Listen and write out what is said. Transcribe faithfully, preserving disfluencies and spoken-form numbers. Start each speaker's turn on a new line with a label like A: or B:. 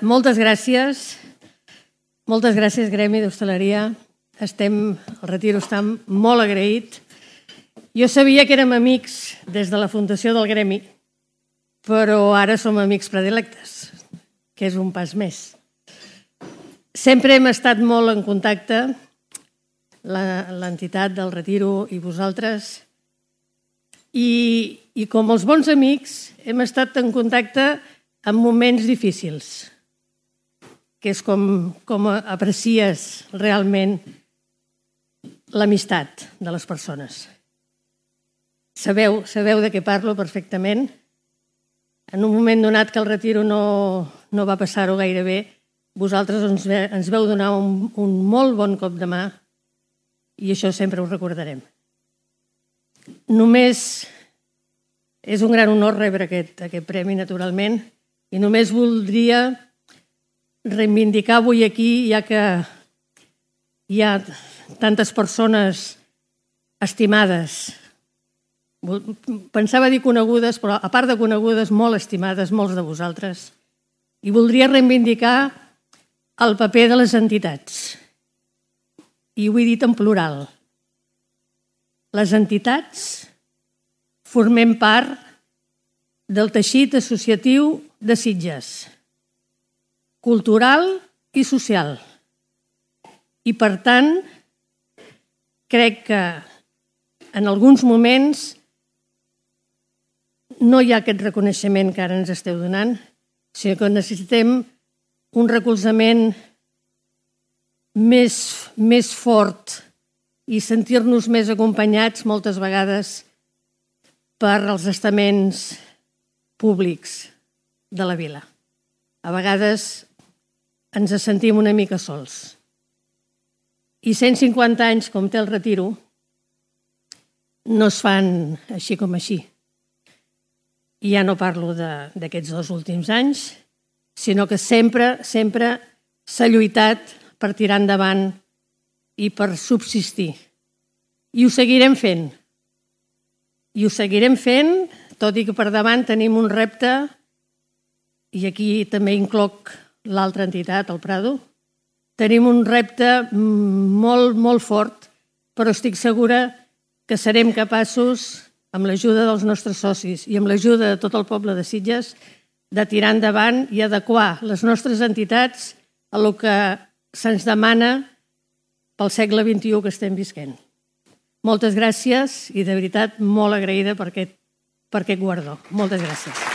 A: moltes gràcies. Moltes gràcies, Gremi d'Hostaleria. Estem, el Retiro està molt agraït. Jo sabia que érem amics des de la fundació del Gremi, però ara som amics predilectes, que és un pas més. Sempre hem estat molt en contacte, l'entitat del Retiro i vosaltres, i, i com els bons amics hem estat en contacte en moments difícils, que és com, com aprecies realment l'amistat de les persones. Sabeu, sabeu de què parlo perfectament. En un moment donat que el Retiro no, no va passar-ho gaire bé, vosaltres ens, ens veu donar un, un molt bon cop de mà i això sempre ho recordarem. Només és un gran honor rebre aquest, aquest premi, naturalment, i només voldria reivindicar avui aquí, ja que hi ha tantes persones estimades, pensava dir conegudes, però a part de conegudes, molt estimades, molts de vosaltres, i voldria reivindicar el paper de les entitats. I ho he dit en plural. Les entitats formem part del teixit associatiu de Sitges, cultural i social. I, per tant, crec que en alguns moments no hi ha aquest reconeixement que ara ens esteu donant, sinó que necessitem un recolzament més, més fort i sentir-nos més acompanyats moltes vegades per als estaments públics de la vila. A vegades ens sentim una mica sols. I cent cinquanta anys, com té el Retiro, no es fan així com així. I ja no parlo d'aquests dos últims anys, sinó que sempre, sempre s'ha lluitat per tirar endavant i per subsistir. I ho seguirem fent. I ho seguirem fent, tot i que per davant tenim un repte, i aquí també incloc l'altra entitat, el Prado, tenim un repte molt, molt fort, però estic segura que serem capaços, amb l'ajuda dels nostres socis i amb l'ajuda de tot el poble de Sitges, de tirar endavant i adequar les nostres entitats a el que se'ns demana pel segle vint-i-u que estem visquent. Moltes gràcies i, de veritat, molt agraïda per aquest, per aquest guardó. Moltes gràcies.